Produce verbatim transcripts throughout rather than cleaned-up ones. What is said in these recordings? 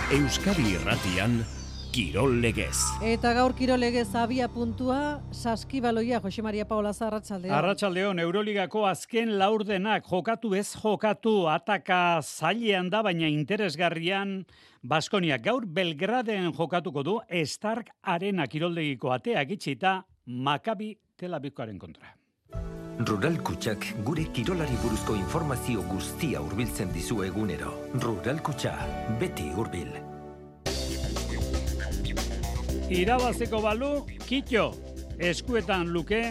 Euskadi Irratian Kirol Legez. Eta gaur Kirol Legez abia puntua Saskibaloia. Jose Maria Paolaza, arratsaldeon. Arratsaldeon, Euroligako azken laurdenak jokatu ez jokatu, ataka zailean da, baina interesgarrian Baskonia gaur Belgraden jokatuko du Stark Arena kiroldegiko ateak itxita Maccabi Tel Avivkoaren kontra. Rural Kutxak gure kirolari buruzko informazio guztia hurbiltzen dizu egunero. Rural Kutxa, beti hurbil. Irabazeko balu, Kitxo, eskuetan luke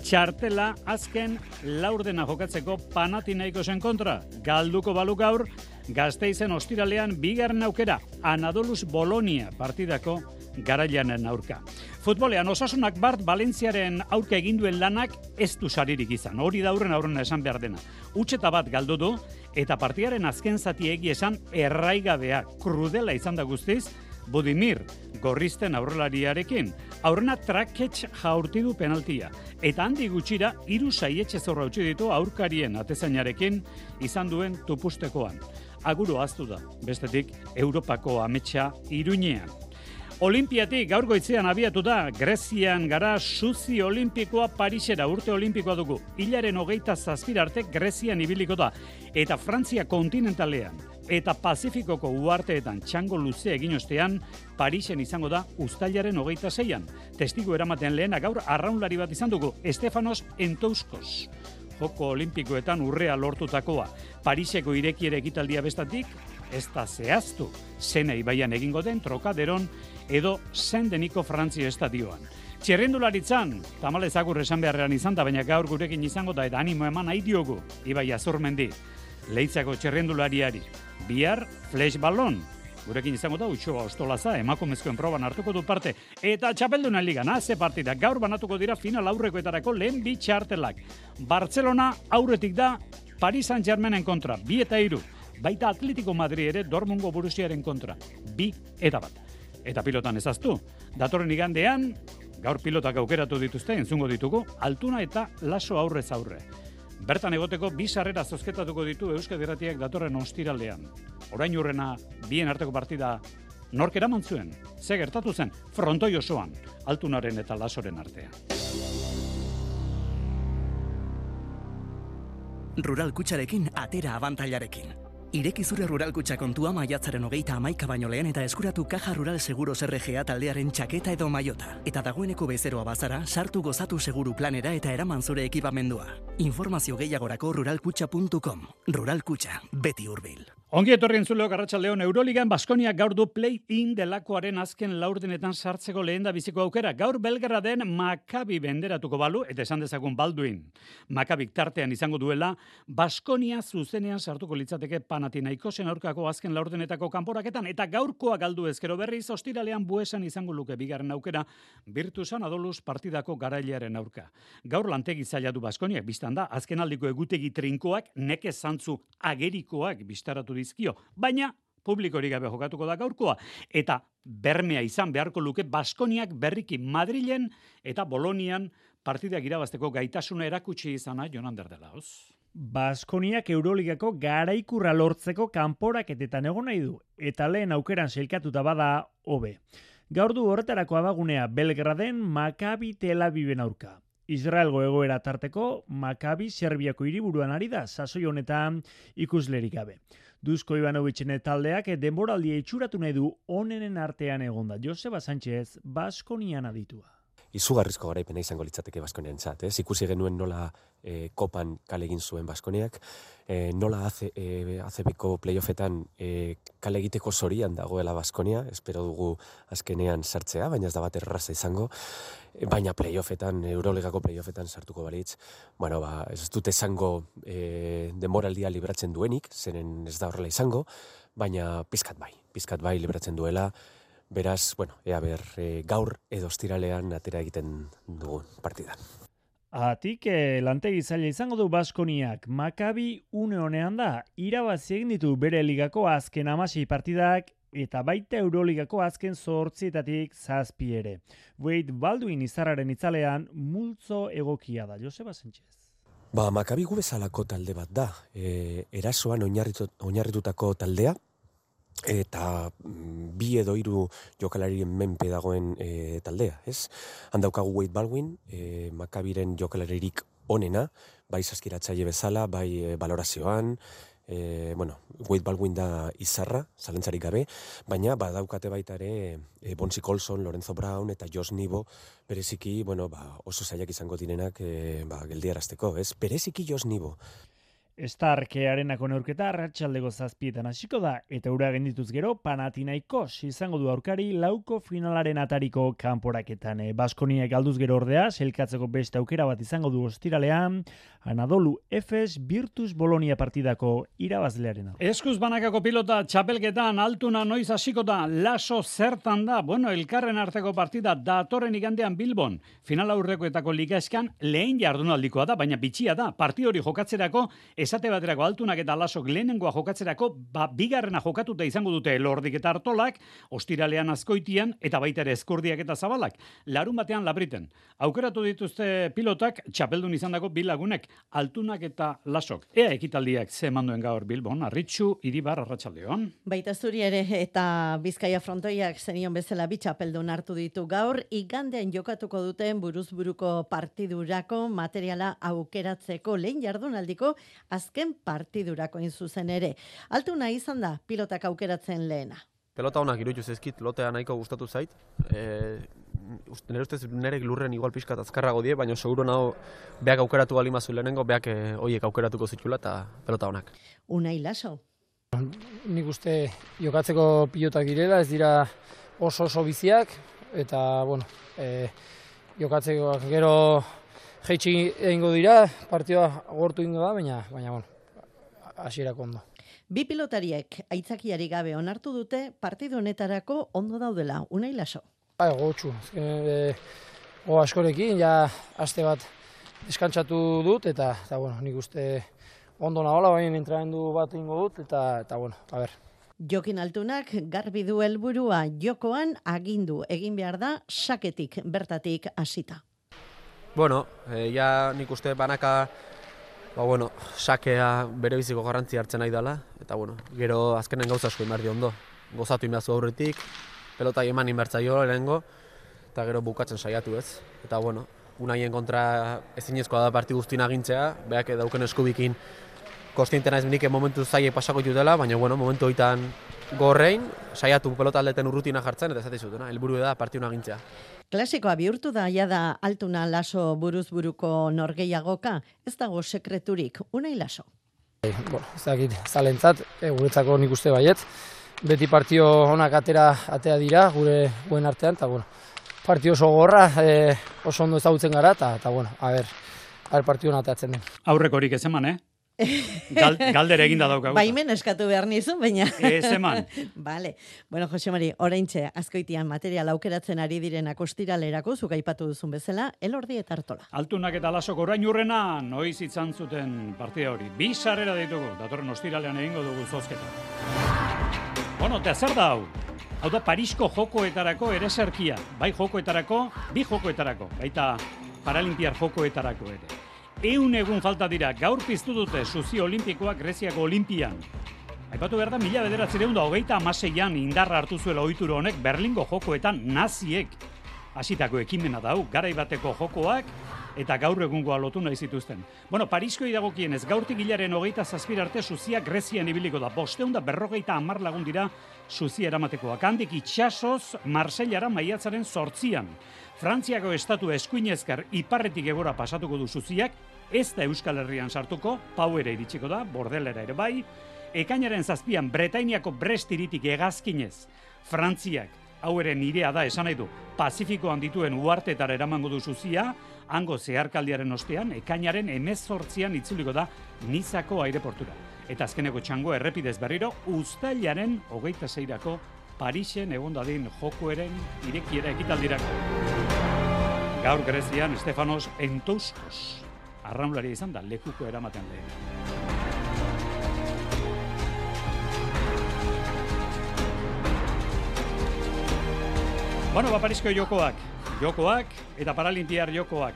txartela azken laurdena jokatzeko Panathinaikosen kontra. Galduko balu gaur, Gasteizen ostiralean bigarren aukera, Anadolus Bolonia partidako garailanen aurka. Futbolean Osasunak Bart Valentziaren aurka egin duen lanak ez du saririk izan. Hori da aurren aurrena esan behar dena. Utxeta bat galdu du eta partidaren azken zati egi esan erraigabea, krudela izan da guztiz, Budimir gorrizten aurrelariarekin. Aurrena traketx jaurti du penaltia. Eta handi gutxira hiru saietxe zorra utzi ditu aurkarien atezainarekin izan duen tupustekoan. Aguru ahaztu da, bestetik Europako ametsa Iruñean. Olimpiatik gaur goitzean abiatu da, Grezian gara suzi olimpikoa Parisera urte olimpikoa dugu. Hilaren hogeita zazpira arte Grezian ibiliko da. Eta Frantzia kontinentalean eta Pazifikoko uharteetan txango luze egin ostean, Parisen izango da uztailaren hogeita zeian. Testigu eramaten lehena gaur arraunlari bat izan dugu, Estefanos Entouskos. Joko olimpikoetan urrea lortutakoa. Pariseko irekiere ekitaldia bestatik, ez da zehaztu, Sena ibaian egingo den Trokaderon edo Saint-Deniko Frantzia estadioan. Txerrendularitzan, tamalez agur esan beharrean izan da, baina gaur gurekin izango da eta animo eman nahi diogu, Ibai Azurmendi, Leitzako txerrendulariari. Bihar, flash ballon, gurekin izango da, Utxoa Ostolaza, emakumezkoen proban hartuko du parte. Eta txapeldunan ligan, ze partida, gaur banatuko dira final aurrekoetarako lehen bi txartelak. Bartzelona aurretik da, Paris Saint-Germainen kontra, bi eta hiru. Baita Atletico Madrid ere Dortmundgo Borussiaren kontra, bi eta bat. Eta pilotan ezaztu, datorren igandean, gaur pilotak aukeratu dituzte, entzungo ditugu, Altuna eta Laso aurrez aurre. Bertan egoteko bi sarrera zozketatuko ditu Euskadi Irratiak datorren ostiraldean. Orain urrena bien arteko partida nork eraman zuen, ze gertatu zen, frontoi osoan, Altunaren eta Lasoren artean. Rural Kutxarekin atera abantailarekin. Ireki zure Rural Kutxa kontua maiatzaren hogeita hamaika baino lehen eta eskuratu Caja Rural Seguros R G A taldearen txaketa edo maiota. Eta dagoeneko bezeroa bazara, sartu gozatu seguru planera eta eraman zure ekipamendua. Informazio gehiagorako ruralkutxa puntu com. Rural Kutxa, beti hurbil. Ongi etorri entzuleok, arratsaldeon. Euroligan Baskoniak gaur du play-in delakoaren azken laurdenetan sartzeko lehen da biziko aukera. Gaur Belgraden Maccabi benderatuko balu, eta esan dezagun Balduin. Maccabik tartean izango duela, Baskonia zuzenean sartuko litzateke Panathinaikosen aurkako azken laurdenetako kanporaketan, eta gaurkoa galdu ezkero berriz, ostiralean Buesan izango luke bigarren aukera, Virtusan Adolus partidako garailearen aurka. Gaur lantegi zaila du Baskoniak, biztan da, azken aldiko egutegi trinkoak, nekez zantzu agerikoak biztaratu dizkio, baina publikorik gabe jokatuko da gaurkoa, eta bermea izan beharko luke Baskoniak berriki Madrilen eta Bolonian partidak irabazteko gaitasuna erakutsi izana Jonan Derdelaoz. Baskoniak Euroligako garaikurra lortzeko kanporaketetan egon nahi du, eta lehen aukeran sailkatuta bada hobe. Gaur du horretarako abagunea Belgraden Maccabi Tel Aviven aurka. Israelgo egoera tarteko Maccabi Serbiako hiriburuan ari da, sasoi honetan ikuslerik gabe. Dusko Ivanovitzen taldeak denboraldia itxuratu nahi du onenen artean egonda. Joseba Sánchez, Baskonian aditua. Izugarrizko garaipena izango litzateke Baskoniantzat, ez? Ikusi genuen nola e, kopan kale egin zuen Baskoniak, e, nola e, A C Bko playoffetan e, kale egiteko zorian dagoela Baskonia, espero dugu azkenean sartzea, baina ez da bat erraza izango, e, baina playoffetan, Euroligako playoffetan sartuko balitz, bueno, ba, ez dut esango e, denboraldia libratzen duenik, zeren ez da horrela izango, baina pizkat bai, pizkat bai libratzen duela. Beraz, bueno, ea ber, e, gaur edo ostiralean atera egiten dugun partidan. Atik, eh, lantegi zaila izango du Baskoniak. Maccabi une honean da, irabazi egin ditu bere ligako azken hamasei partidak eta baita Euroligako azken zortzietatik zazpi ere. Wade Balduin izarraren itzalean multzo egokia da. Joseba Sánchez. Ba, Maccabi gu bezalako talde bat da. E, erasoan oinarritu, oinarritutako taldea, eta bi edo hiru jokalarien menpe dagoen e, taldea, ez? Handaukagu Wade Baldwin, e, Makabiren jokalaririk onena, bai saskiratzaile bezala, bai e, balorazioan, e, bueno, Wade Baldwin da izarra, zalantzarik gabe, baina badaukate baita ere e, Bonzi Colson, Lorenzo Brown eta Josh Nibo, bereziki, bueno, ba, oso zailak izango direnak e, ba, geldiarazteko, ez? Bereziki Josh Nibo. Starkearenako neurketa arratsaldeko zazpietan hasiko da eta ura gendituz gero Panathinaikos izango du aurkari lauko finalaren atariko kanporaketan. E, Baskoniak galduz gero ordea, selkatzeko beste aukera bat izango du ostiralean, Anadolu Efes Virtus Bolonia partidako irabazlearena. Eskuz banakako pilota txapelketan altuna noiz hasiko da, laso zertan da, bueno, elkarren arteko partida datorren igandean Bilbon. Final aurrekoetako ligaeskan lehen jardunaldikoa da, baina bitxia da, parti hori jokatzerako esate baterako altunak eta lasok lehenengoa jokatzerako, ba, bigarrena jokatuta izango dute Elordik eta Artolak, ostiralean Azkoitian, eta baita ere Eskurdiak eta Zabalak. Larun batean Labriten. Aukeratu dituzte pilotak, txapeldun izandako bi lagunek, altunak eta lasok. Ea ekitaldiak ze manduen gaur Bilbon, Arritxu, Iribar, Arratsaldeon. Baita zuri ere eta Bizkaia frontoiak zenion bezala bi txapeldun hartu ditu gaur, igandean jokatuko duten buruzburuko partidurako materiala aukeratzeko lehen jardunaldiko azken partidurako zuzen ere. Altuna izan da pilotak aukeratzen lehena. Pelota honak iruditu zaizkit, lotea nahiko gustatu zait. E, nire ustez nerek lurren igual pixkat azkarrago die, baina seguro nago beak aukeratu balimazu lehenengo, beak e, hoiek aukeratuko zitula eta pelota honak. Unai Laso. Nik uste jokatzeko pilotak direla, ez dira oso oso biziak, eta bueno, e, jokatzeko gero jeitsi egingo dira, partioa gortu egingo da, baina, baina bueno, hasierako ondo. Bi pilotariek aitzakiari gabe onartu dute partidu honetarako ondo daudela, Unai Laso. Bai, gotxu, e, go askorekin, ja aste bat deskantsatu dut, eta, eta bueno, nik uste ondo nagola, baina entramendu bat egingo dut, eta, eta bueno, a ber. Jokin Altunak garbi du helburua jokoan agindu egin behar da saketik bertatik hasita. Bueno, e, ja nik uste banaka, ba bueno, sakea bere biziko garrantzia hartzen nahi dela, eta bueno, gero azkenen gauza asko inberdi ondo. Gozatu inbertzu aurretik, pelota eman inbertzaio lehenengo, eta gero bukatzen saiatu ez. Eta bueno, Unaien kontra ezinezkoa da parti guztien agintzea, beak dauken eskubikin kostiente naiz nik momentu zailek pasako ditutela, baina bueno, momentu hoitan gorrein, saiatu pelota aldeten urrutina jartzen, eta ez zutena, helburu da partiun agintzea. Klasikoa bihurtu da, ja da Altuna Laso buruz buruko norgeiagoka, ez dago sekreturik, Unai Laso. E, bueno, ez dakit, zalentzat, e, guretzako nik uste baiet, beti partio onak atera, atera dira, gure guen artean, eta bueno, partio oso gorra, e, oso ondo ezagutzen gara, eta, eta bueno, a ber, a ber partio atatzen den. Aurrekorik ez eman, eh? Gal, galdera eginda daukagu. Baimen eskatu behar nizun, baina. Ez eman. Vale. Bueno, Jose Mari, oraintxe Azkoitian material aukeratzen ari direnak ostiralerako, zuk aipatu duzun bezala, Elordi eta Artola. Altunak eta Lasok orain urrena, noiz izan zuten partida hori. Bi sarrera ditugu, datorren ostiralean egingo dugu zozketa. Bueno, eta zer da hau? Hau da Parisko jokoetarako ereserkia. Bai jokoetarako, bi jokoetarako. Baita Paralimpiar jokoetarako ere. Eun egun falta dira, gaur piztu dute Suzio Olimpikoak Greziako Olimpian. Aipatu behar da, mila bederatziehun eta hogeita hamaseian indarra hartu zuela ohituro honek Berlingo jokoetan naziek hasitako ekimena dau, garai bateko jokoak eta gaur egungoa lotu nahi zituzten. Bueno, Parisko dagokienez, gaurtik hilaren hogeita zazpir arte Suzia Grezian ibiliko da. Bosteun da berrogeita hamar lagun dira Suzia eramatekoak. Handik itxasoz Marsellara maiatzaren zortzian. Frantziako estatu eskuinezker iparretik egora pasatuko du Suziak, ez da Euskal Herrian sartuko, Pau ere iritsiko da, Bordelera ere bai. Ekainaren zazpian Bretainiako Brest hiritik hegazkinez Frantziak, hau ere nirea da esan nahi du, Pazifikoan dituen uhartetara eramango du Suzia, hango zeharkaldiaren ostean, ekainaren hemezortzian itzuliko da Nizako aireportura. Eta azkeneko txango errepidez berriro, uztailaren hogeita seirako Parisen egon dadin jokoeren irekiera ekitaldirako. Gaur Grezian Stefanos Entouskos arraunlaria izan da lekuko eramatean lehen. Bueno, ba, Parisko jokoak, jokoak eta Paralimpiar jokoak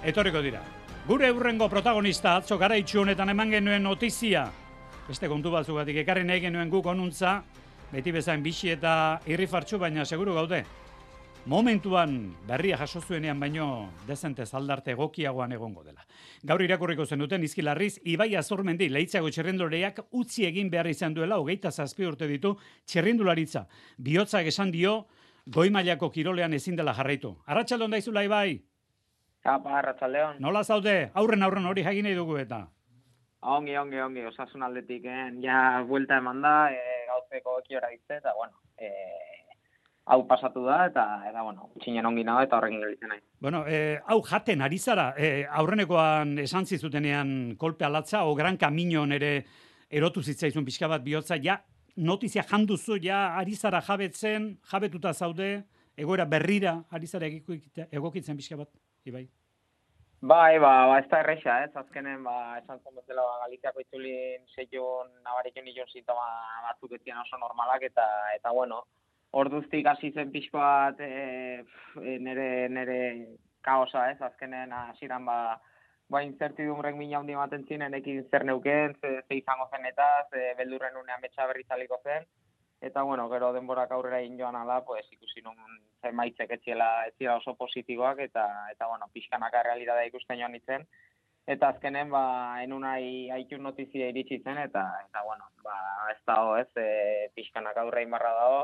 etorriko dira. Gure hurrengo protagonista atzo garaitxu honetan eman genuen notizia. Beste kontu batzugatik ekarri nahi genuen guk onuntza, beti bezain bixi eta irrifartxu, baina seguru gaude. Momentuan berria jaso zuenean baino dezentez aldarte egokiagoan egongo dela. Gaur irakurriko zenuten Izkilarriz, Ibai Azurmendi Leitzago txirrinduleak utzi egin behar izan duela hogeita zazpi urte ditu txirrindularitza. Bihotzak esan dio goi mailako kirolean ezin dela jarraitu. Arratsaldeon daizula Ibai. Apa, arratsaldeon. Nola zaude? Aurren aurren hori jakin nahi dugu eta. Ongi, ongi, ongi, osasun aldetik, eh? Ja, buelta eman da, e, gauzeko ekiora ditze, eta, bueno, e, hau pasatu da, eta, eta bueno, utxinen ongi nago, eta horrekin gelitzen nahi. Bueno, eh, hau jaten ari zara, eh, aurrenekoan esan zizutenean kolpe alatza, o gran kaminon ere erotu zitzaizun pixka bat bihotza, ja, notizia janduzu, ja, ari zara jabetzen, jabetuta zaude, egoera berrira, ari zara egokitzen pixka bat, Ibai? Bai, ba, ba, ez da erresa, ez, azkenen, ba, esan zen bezala, ba, Galiziako itzulin zeion, nabariken nilon sintoma batzuk etzian oso normalak, eta, eta, bueno, orduztik hasi zen pixko bat e, nere, nere kaosa, ez, azkenen hasieran ba, ba incertidumrek mina handi ematen zinen, ekin zer neuken, ze, ze izango zen eta, ze beldurren unean betxa berri zaliko zen, eta, bueno, gero denborak aurrera egin joan ala, pues, ikusi nun zenbaitzek etziela, etziela oso positiboak, eta, eta bueno, pixkanaka realitatea ikusten joan nintzen, eta azkenen, ba, enunai haitun notizia iritsi zen, eta, eta bueno, ba, ez dago, ez, e, pixkanaka aurre inbarra dago,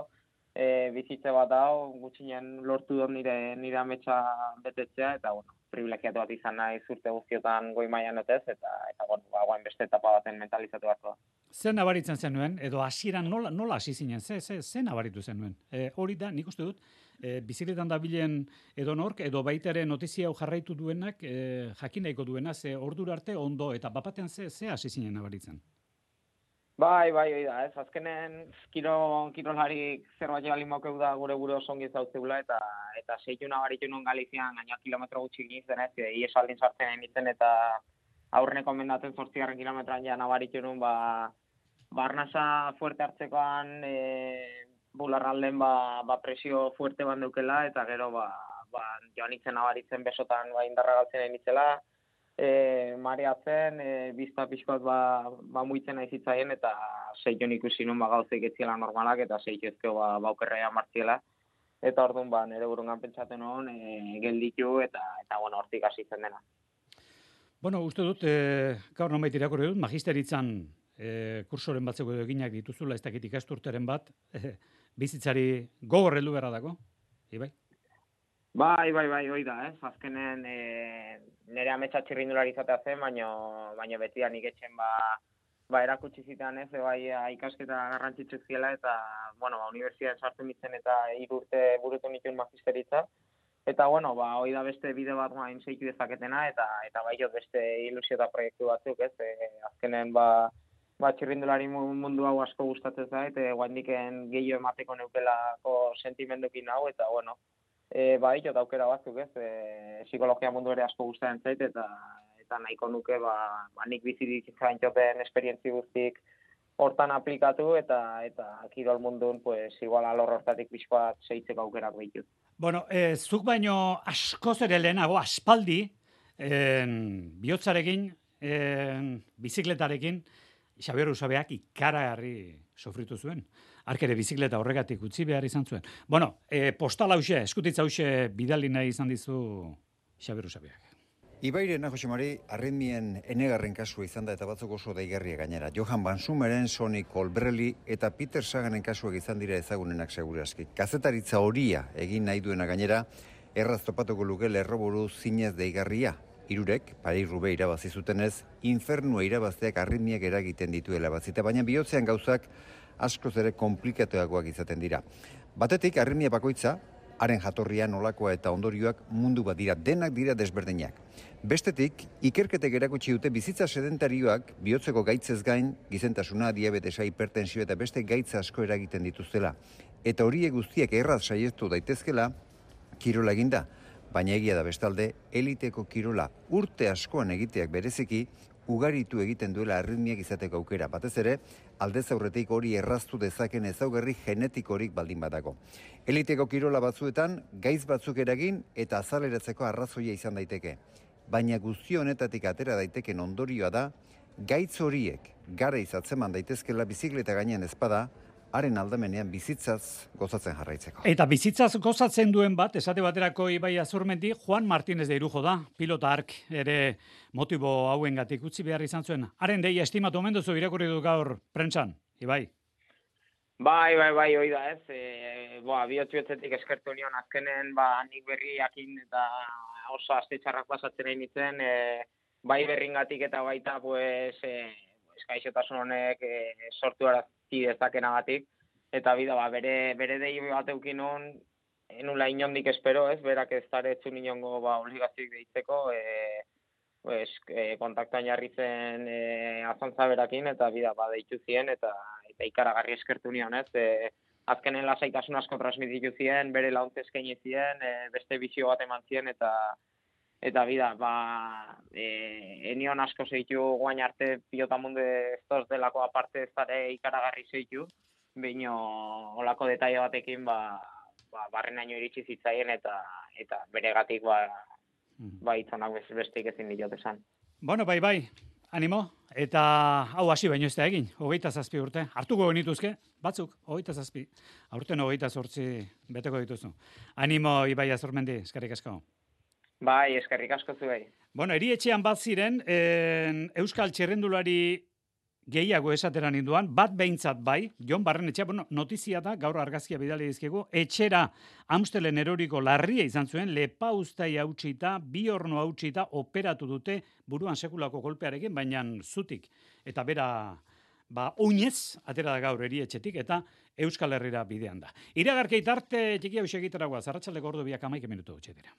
e, bizitze bat dago, gutxinen lortu dut nire, nire ametsa betetzea, eta, bueno, privilegiatu bat izan nahi zurte guztiotan goi mailan otez, eta, eta bueno, ba, guain beste etapa baten mentalizatu bat da. Zer nabaritzen zenuen, edo hasieran nola, nola hasi zinen, ze, ze, ze nabaritu zenuen? E, hori da, nik uste dut, e, bizikletan dabilen edo nork, edo baitare notizia hau jarraitu duenak, e, jakin nahiko duena, ze ordura arte ondo, eta bapatean ze, ze hasi zinen nabaritzen? Bai, bai, hori da, ez, azkenen kiro, kirolarik zerbait balin mokeu da gure gure oso ongi zautzeula, eta eta seitu nabaritu nun Galizian, gaina kilometro gutxi gintzen, ez, iesaldin sartzen emitzen, eta aurreneko mendaten zortzigarren kilometroan ja nabaritu nun, ba, barnasa fuerte hartzekoan, e, bularralden ba, ba presio fuerte ban deukela, eta gero ba, ba, joan itzen nabaritzen besotan ba, indarra galtzen emitzela, e, mareatzen, e, bizta pixkoat ba, ba muitzen aizitzaien, eta seion ikusi nun ba, gauzeik etziela normalak, eta seitu ezkeo ba, baukerrea martziela, eta orduan ba, nire burungan pentsaten hon, e, gelditu, eta, eta bueno, hortik hasi zen dena. Bueno, uste dut, e, gaur nomait irakurri dut, magisteritzan E, kursoren batzeko eginak dituzula, ez dakit ikasturteren bat, e, bizitzari gogor heldu beharra dago, Ibai? Bai, bai, bai, hoi da, ez? Azkenen e, nire ametsa txirrindulari izatea zen, baino, baino beti da nik etxen ba, ba erakutsi zitan, ez? E, bai, ikasketa garrantzitsu ziela, eta, bueno, ba, unibertsitatean sartu mitzen eta hiru urte burutu nituen magisteritza. Eta, bueno, ba, hoi da beste bide bat guain zeitu dezaketena, eta, eta bai jo beste ilusio eta proiektu batzuk, ez? E, azkenen, ba, ba, txirrindulari mundu hau asko gustatzen zait, e, guaindiken gehiago emateko neukelako sentimendukin hau, eta, bueno, e, ba, jo daukera batzuk, ez, e, psikologia mundu ere asko gustatzen zait, eta, eta nahiko nuke, ba, ba nik bizitik zaintxoten esperientzi guztik hortan aplikatu, eta, eta kirol mundun, pues, igual alor hortatik pixkoat zeitzeko aukerak behitut. Bueno, e, zuk baino askoz ere lehenago, aspaldi, en, bihotzarekin, en, bizikletarekin, Xabier Usabeak ikaragarri sofritu zuen. Ark ere bizikleta horregatik utzi behar izan zuen. Bueno, e, postal hause, eskutitza hause bidali nahi izan dizu Xabier Usabeak. Ibairena, Jose Mari, arritmien enegarren kasua izan da eta batzuk oso daigarria gainera. Johan Van Sumeren, Sonny Colbrelli eta Peter Saganen kasuak izan dira ezagunenak segurazki. Kazetaritza horia egin nahi duena gainera, erraz topatuko luke lerroburu zinez deigarria. Irurek, Paris-Roubaix irabazi zutenez, infernua irabazteak arritmiak eragiten dituela bazita, baina bihotzean gauzak askoz ere komplikatuagoak izaten dira. Batetik, arritmia bakoitza, haren jatorria nolakoa eta ondorioak mundu bat dira, denak dira desberdinak. Bestetik, ikerketek erakutsi dute bizitza sedentarioak bihotzeko gaitzez gain, gizentasuna, diabetesa, hipertensio eta beste gaitza asko eragiten dituztela. Eta horiek guztiak erraz saiestu daitezkela, kirola eginda. Baina egia da bestalde, eliteko kirola urte askoan egiteak bereziki, ugaritu egiten duela arritmiak izateko aukera. Batez ere, aldez aurretik hori erraztu dezaken ezaugarri genetikorik baldin badago. Eliteko kirola batzuetan, gaitz batzuk eragin eta azaleratzeko arrazoia izan daiteke. Baina guztio honetatik atera daiteken ondorioa da, gaitz horiek gara izatzeman daitezkela bizikleta gainean ezpada, haren aldamenean bizitzaz gozatzen jarraitzeko. Eta bizitzaz gozatzen duen bat, esate baterako Ibai Azurmendi, Juan Martínez de Irujo da, pilota ark ere motibo hauengatik utzi behar izan zuen. Haren deia estimatu omen duzu irakurri du gaur prentsan, Ibai? Bai, bai, bai, hoi da ez. E, boa, bihotz-bihotzetik eskertu nion azkenen, ba, nik berriakin eta oso aste txarrak pasatzen egin nintzen, e, bai berringatik eta baita, pues, e, eskaixotasun honek e, sortu arazi dezakenagatik, eta bida, ba, bere, bere dei bat eukin hon, enula inondik espero, ez, berak ez daretzu inongo, ba, obligazioik deitzeko, e, pues, e, kontaktuan jarri zen e, azantza berakin, eta bida, ba, deitu zien, eta, eta ikaragarri eskertu nion, ez, e, azkenen lasaitasun asko transmititu zien, bere launtz eskaini zien, e, beste bizio bat eman zien, eta Eta bida, ba, e, enion asko zeitu guain arte pilota munde ez delako aparte ez dara ikaragarri zeitu, baino olako detaile batekin, ba, ba, barrenaino iritsi zitzaien eta eta beregatik ba, ba itzonak bestik ezin diot esan. Bueno, bai, bai, animo, eta hau hasi baino ez da egin, hogeita zazpi urte, hartuko genituzke, batzuk, hogeita zazpi, aurten hogeita zortzi beteko dituzu. Animo, Ibai Azurmendi, eskerrik asko. Bai, eskerrik asko zuei. Bueno, erietxean bat ziren, en, Euskal Txerrendulari gehiago esatera ninduan, bat behintzat bai, Jon Barrenetxea, bueno, notizia da, gaur argazkia bidali dizkigu, etxera Amstelen eroriko larria izan zuen, lepa ustai hautsita, bi horno hautsita, operatu dute buruan sekulako kolpearekin, baina zutik, eta bera, ba, oinez, atera da gaur erietxetik, eta Euskal Herrira bidean da. Iragarkeit arte txiki hau segitaragoa, zarratxaldeko ordu biak amaike minutu hau dira.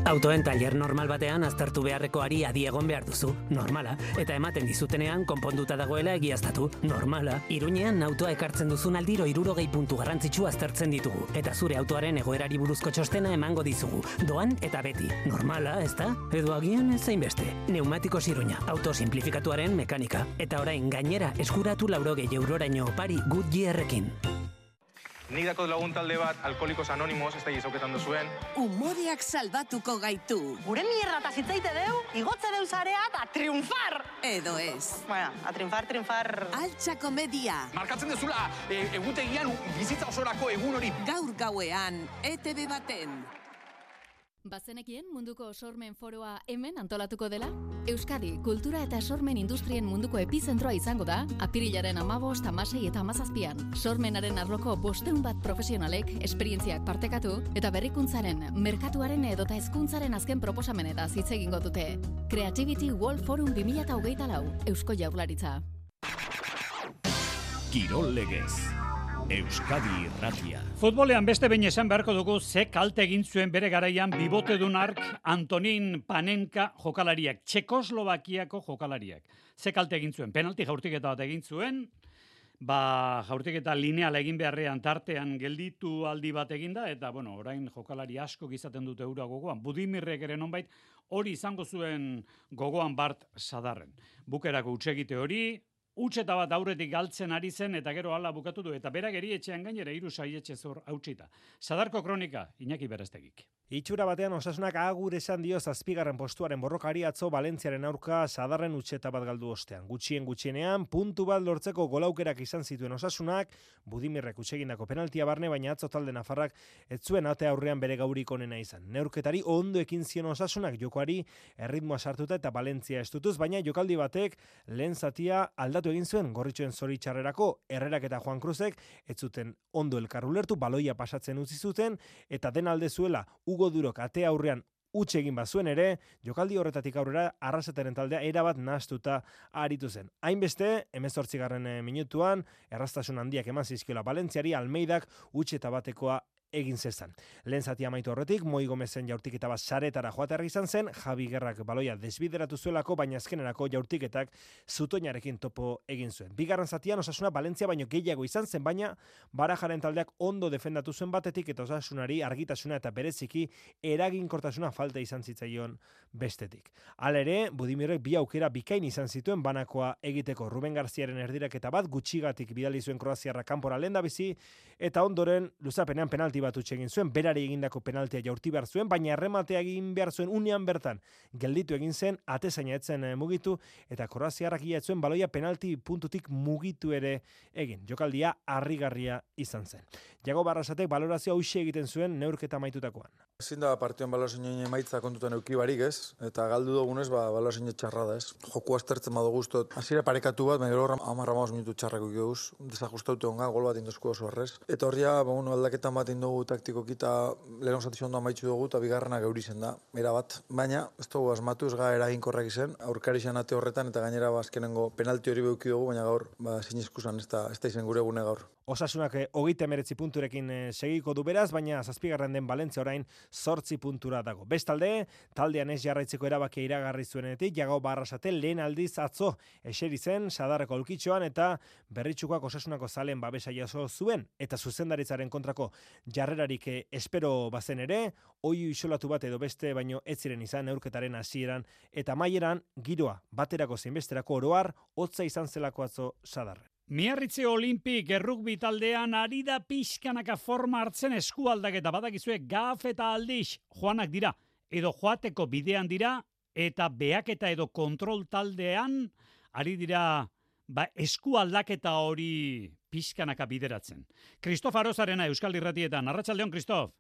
Autoen taller normal batean aztertu beharrekoari adi egon behar duzu, normala, eta ematen dizutenean konponduta dagoela egiaztatu, normala. Iruñean autoa ekartzen duzun aldiro hirurogei puntu garrantzitsu aztertzen ditugu, eta zure autoaren egoerari buruzko txostena emango dizugu, doan eta beti, normala, ezta? Edo agian ez zainbeste. Neumatikos Iruña, auto simplifikatuaren mekanika, eta orain gainera eskuratu laurogei euroraino opari Goodyearrekin. Nik dako lagun talde bat, Alkoholikos Anonimos, ez da gizauketan duzuen. Umoreak salbatuko gaitu. Gure mierda eta zitzaite deu, igotze deu zarea eta triunfar! Edo ez. Bueno, a triunfar, triunfar... Altxa komedia. Markatzen dezula, e, egutegian bizitza osorako egun hori. Gaur gauean, E T B baten. Bazenekien munduko sormen foroa hemen antolatuko dela? Euskadi, kultura eta sormen industrien munduko epizentroa izango da, apirilaren amabost, amasei eta amazazpian. Sormenaren arloko bosteun bat profesionalek, esperientziak partekatu, eta berrikuntzaren, merkatuaren edota hezkuntzaren azken proposamenetaz hitz egingo dute. Creativity World Forum bi mila hogeita lau, Eusko Jaurlaritza. Kirol legez. Euskadi Irratia. Futbolean beste behin esan beharko dugu ze kalte egin zuen bere garaian bibotedun ark Antonin Panenka jokalariak, Txekoslovakiako jokalariak. Ze kalte egin zuen, penalti jaurtiketa bat egin zuen, ba jaurtiketa lineala egin beharrean tartean gelditu aldi bat eginda, eta bueno, orain jokalari asko izaten dute eura gogoan. Budimirrek ere nonbait hori izango zuen gogoan Bart Sadarren. Bukerako hutsegite hori, utxeta bat aurretik galtzen ari zen eta gero hala bukatu du eta berak erietxean gainera hiru saietxe zor hautsita. Sadarko kronika, Iñaki Bereztegik. Itxura batean Osasunak agur esan dio zazpigarren postuaren borrokari atzo Valentziaren aurka Sadarren utxeta bat galdu ostean. Gutxien gutxienean puntu bat lortzeko golaukerak izan zituen Osasunak, Budimirrek utsegindako penaltia barne, baina atzo talde nafarrak ez zuen ate aurrean bere gaurik onena izan. Neurketari ondo ekin zion Osasunak jokoari erritmoa sartuta eta Valentzia estutuz, baina jokaldi batek lehen zatia aldatu egin zuen gorritxoen zoritxarrerako. Herrerak eta Juan Cruzek ez zuten ondo elkar ulertu, baloia pasatzen utzi zuten eta den alde zuela Hugo Durok ate aurrean utxe egin bazuen ere, jokaldi horretatik aurrera Arrasetaren taldea erabat nahastuta aritu zen. Hainbeste, hemezortzigarren minutuan, erraztasun handiak eman zizkiola Valentziari, Almeidak utxeta batekoa egin zezan. Lehen zati amaitu horretik, Moi Gomezen jaurtiketa bat saretara joaterra izan zen, Javi Gerrak baloia desbideratu zuelako, baina azkenerako jaurtiketak zutoinarekin topo egin zuen. Bigarren zatian Osasuna Valentzia baino gehiago izan zen, baina Barajaren taldeak ondo defendatu zuen batetik eta Osasunari argitasuna eta bereziki eraginkortasuna falta izan zitzaion bestetik. Hala ere, Budimirrek bi aukera bikain izan zituen banakoa egiteko. Ruben Garziaren erdiraketa bat gutxigatik bidali zuen Kroaziarra kanpora lehendabizi eta ondoren luzapenean penalti bat utxe egin zuen, berari egindako penaltia jaurti behar zuen, baina errematea egin behar zuen unean bertan gelditu egin zen, atezaina etzen mugitu, eta kroaziarrak ia etzuen baloia penalti puntutik mugitu ere egin. Jokaldia harrigarria izan zen. Jago Barrasatek balorazioa hauxe egiten zuen neurketa amaitutakoan. Ezin da partioan balorazioen emaitza kontutan euki barik ez, eta galdu dugunez ba, balorazioen txarra da ez. Joku aztertzen badu guztot, hasiera parekatu bat, baina horra amarra maus minutu txarrak uki duguz, desajustaute onga, gol bat indozko oso arrez. Eta horria, ba, bueno, aldaketan bat indugu taktikoki eta lehen osatizio ondo amaitzu dugu, eta bigarrena geuri zen da, era bat. Baina, ez dugu asmatu, ez ga eraginkorrak izen, aurkari izan ate horretan, eta gainera ba, azkenengo penalti hori beuki dugu, baina gaur, ba, zinizkusan, ez da, ez da izen gure egune gaur. Osasunak hogeita hemeretzi punturekin segiko du beraz, baina zazpigarren den Valentzia orain zortzi puntura dago. Bestalde, taldean ez jarraitzeko erabakia iragarri zuenetik, Jago Barrasate lehen aldiz atzo eseri zen Sadarreko aulkitxoan eta Berritxukoak Osasunako zalen babesa jaso zuen, eta zuzendaritzaren kontrako jarrerarik espero bazen ere, oihu isolatu bat edo beste baino ez ziren izan neurketaren hasieran eta amaieran giroa baterako zein besterako oroar hotza izan zelako atzo Sadarren. Miarritze Olimpik errugbi taldean ari da pixkanaka forma hartzen eskualdaketa badakizue gaf eta aldiz joanak dira, edo joateko bidean dira, eta beaketa edo kontrol taldean ari dira ba, eskualdaketa hori pixkanaka bideratzen. Kristof Arozarena Euskal Irratietan. Arratsaldeon, Kristof.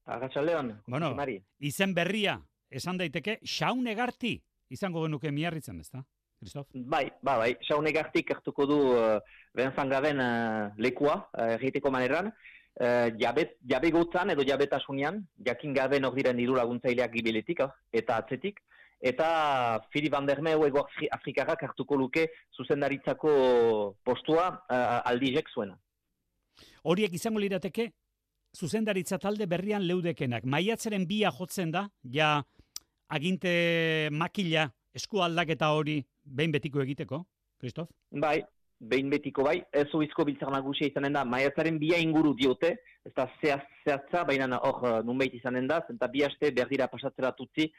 Arratsaldeon, bueno, Mari. Izen berria, esan daiteke, Xaun Egarti izango genuke Miarritzen, ezta? Kristof? Bai, ba, bai, Xaun Egartik hartuko du uh, Benzangaben uh, lekua, uh, egiteko maneran, uh, jabet, jabegotzan edo jabetasunean, jakin gabe nor diren diru laguntzaileak gibiletik, uh, eta atzetik, eta Fili Van der Meu ego Afrikarrak hartuko luke zuzendaritzako postua uh, aldizek zuena. Horiek izango lirateke, zuzendaritza talde berrian leudekenak. Maiatzaren bia jotzen da, ja aginte makila esku aldaketa hori behin betiko egiteko, Kristof? Bai, behin betiko bai, ez oizko biltzar nagusia izanen da, maiatzaren bia inguru diote, ez da zehatza, baina hor nunbait izanen da, zenta bi aste berdira pasatzera tutzi,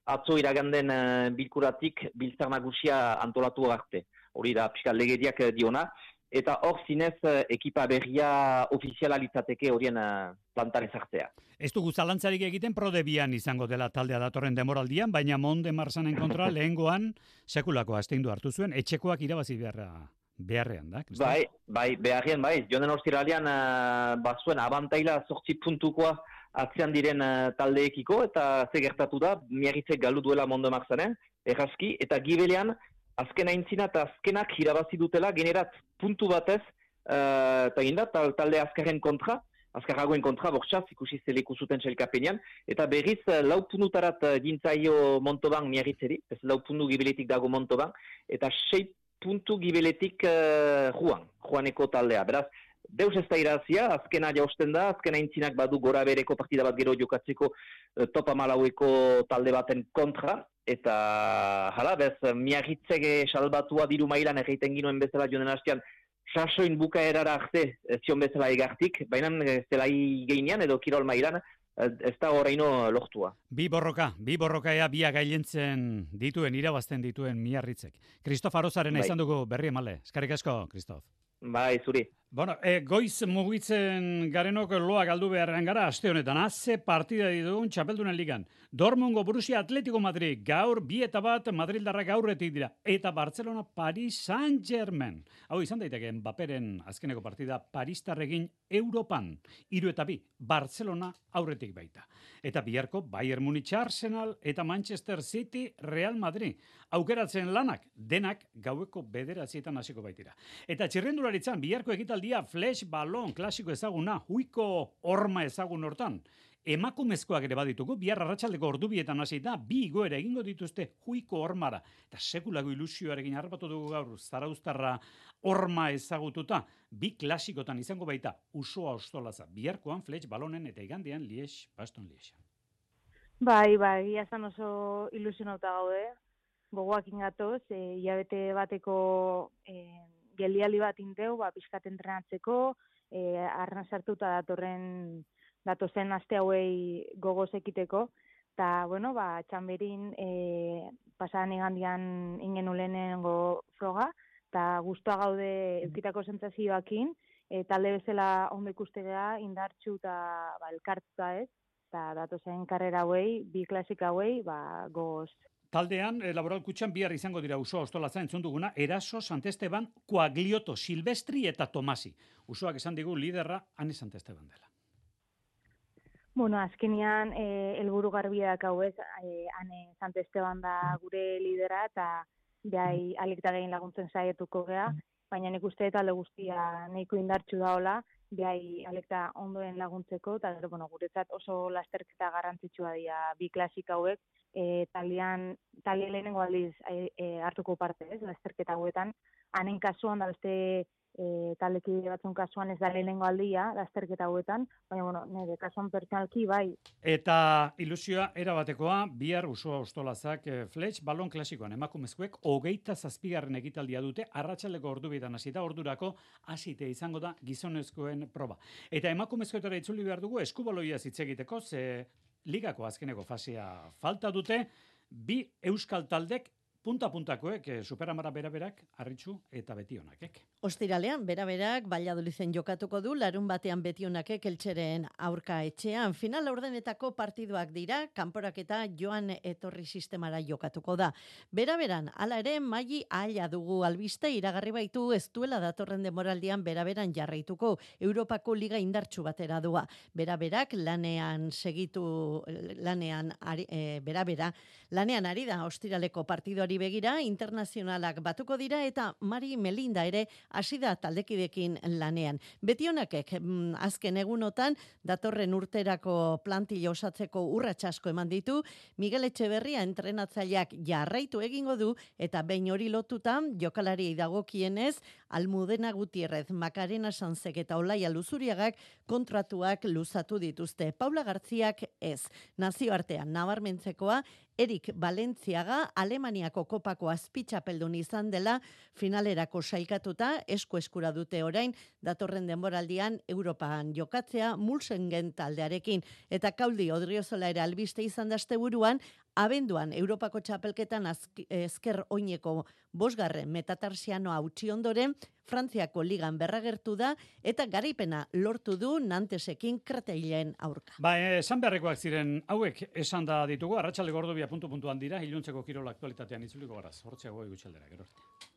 atzo iraganden uh, bilkuratik biltzar nagusia antolatu arte. Hori da, pixka legediak diona, eta hor zinez uh, ekipa berria ofiziala litzateke horien uh, plantan ezartzea. Ez dugu zalantzarik egiten prodebian izango dela taldea datorren demoraldian, baina Monde Marsanen kontra lehengoan sekulako asteindu hartu zuen, etxekoak irabazi beharra beharrean da, Kristof? Bai, bai, beharrean, bai. Jonen ostiralean uh, bazuen abantaila zortzi puntukoa atzean diren uh, taldeekiko, eta ze gertatu da, Miarritzek galdu duela Monde Marsanen, errazki, eta gibelean, azken aintzina eta azkenak irabazi dutela, generat puntu batez, uh, eta ginda, talde azkarren kontra, azkarragoen kontra, bortxaz, ikusi zeleku zuten txelkapenean, eta berriz lau punutarat gintzaio Montauban Miarritzeri, ez lau puntu gibeletik dago Montauban, eta sei puntu gibeletik uh, Juan, Juaneko taldea. Beraz, deus ez da irazia, azkena jausten da, azkena intzinak badu gora bereko partida bat gero jokatzeko uh, topa malaueko talde baten kontra, eta hala, bez, Miarritzege salbatua diru mailan egiten ginoen bezala jonen hastean, sasoin bukaerara arte zion bezala Egartik, baina zelai geinean edo kirol mailan, ez da horreino lortua. Bi borroka, bi borroka ea bia gailentzen dituen, irabazten dituen Miarritzek. Kristof Arozarena bai. Izan dugu berri emale. Eskarrik asko, Kristof. Bai, zuri. Bueno, e, goiz mugitzen garenok loa galdu beharrean gara, aste honetan, haze partida ditugun Txapeldunen ligan. Dortmungo Borussia Atletico Madrid, gaur bi eta bat Madrildarrak aurretik dira. Eta Barcelona Paris Saint-Germain. Hau izan daiteke Mbapperen azkeneko partida Paristarrekin Europan. Hiru eta bi, Barcelona aurretik baita. Eta biharko Bayern Munich Arsenal eta Manchester City Real Madrid. Aukeratzen lanak, denak gaueko bederatzietan hasiko baitira. Eta txirrendularitzan biharko ekitaldia flash balon klasiko ezaguna, huiko horma ezagun hortan. Emakumezkoak ere baditugu, bihar arratsaldeko ordubietan hasita, bi igoera egingo dituzte huiko hormara. Eta sekulako ilusioarekin harrapatu dugu gaur, zarauztarra horma ezagututa, bi klasikotan izango baita, Usoa Ostolaza, biharkoan flash balonen eta igandean Lies, Baston Lies. Bai, bai, iazan oso ilusionauta gaude, gogoak ingatoz, e, hilabete bateko e, geldialdi bat inteu, ba, pixkat entrenatzeko, e, arna sartuta datorren datozen aste hauei gogoz ekiteko, eta, bueno, ba, txamberin e, pasadan igandian ingen ulenengo froga, eta guztua gaude eukitako sentsazioakin, e, talde bezala ondo ikustegea, indartxu eta ba, elkartuta ez, eta datozen karrera hauei, bi klasika hauei, ba, goz. Taldean, eh, laboral kutxan bihar izango dira Usoa Ostolaza entzun duguna, Eraso, Santesteban, Coaglioto, Silvestri eta Tomasi. Usoak esan digu liderra Ane Santesteban dela. Bueno, azkenean eh, helburu garbiak hau ez, eh, Ane Santesteban da gure lidera eta behai alikta gehien laguntzen saietuko gea, baina nik uste talde guztia nahiko indartsu daola, behai alikta ondoen laguntzeko, eta gero, bueno, guretzat oso lasterketa garrantzitsua dira bi klasika hauek, e, taldean, talde lehenengo aldiz e, e, hartuko parte, ez, lasterketa hauetan, Anen kasuan da beste e, taldekide batzun kasuan ez da lehenengo aldia lasterketa hauetan, baina, bueno, nire kasuan pertsonalki bai. Eta ilusioa erabatekoa, bihar Usoa Ostolazak e, Fletch balon klasikoan emakumezkoek hogeita zazpigarren ekitaldia dute, arratsaldeko ordubitan hasita, ordurako hasite izango da gizonezkoen proba. Eta emakumezkoetara itzuli behar dugu eskubaloia hitz egiteko, ze ligako azkeneko fasea falta dute, bi euskal taldek punta-puntakoek, Superamara beraberak, Arritxu eta Betionakek. Ostiralean, beraberak, Valladoliden jokatuko du, larun batean Betionakek Eltxeren aurka etxean. Final ordenetako partiduak dira, kanporaketa joan etorri sistemara jokatuko da. Beraberan, hala ere, maili aila dugu albiste, iragarri baitu ez duela datorren demoraldian beraberan jarraituko, Europako liga indartsu batera doa. Beraberak, lanean segitu, lanean, ari, e, berabera, lanean ari da ostiraleko partiduari begira, internazionalak batuko dira eta Mari Melinda ere hasi da taldekidekin lanean. Betionakek mm, azken egunotan datorren urterako plantilla osatzeko urrats asko eman ditu, Miguel Etxeberria entrenatzaileak jarraitu egingo du eta behin hori lotutan jokalariei dagokienez Almudena Gutierrez, Macarena Sanzek eta Olaia Luzuriagak kontratuak luzatu dituzte. Paula Gartziak ez. Nazioartean nabarmentzekoa Erik Valentziaga Alemaniako kopako azpitxapeldun izan dela finalerako sailkatuta esku eskura dute orain datorren denboraldian Europan jokatzea Mulsengen taldearekin eta Kauldi Odriozola ere albiste izan da asteburuan abenduan Europako txapelketan ezker oineko bosgarren metatarsianoa utzi ondoren Frantziako ligan berragertu da eta garaipena lortu du Nantesekin Kretailen aurka. Ba, esan beharrekoak ziren hauek esan da ditugu, arratsaldeko ordubia puntu puntuan dira, iluntzeko kirola aktualitatean itzuliko garaz. Hortzeago gutxaldera, gero arte.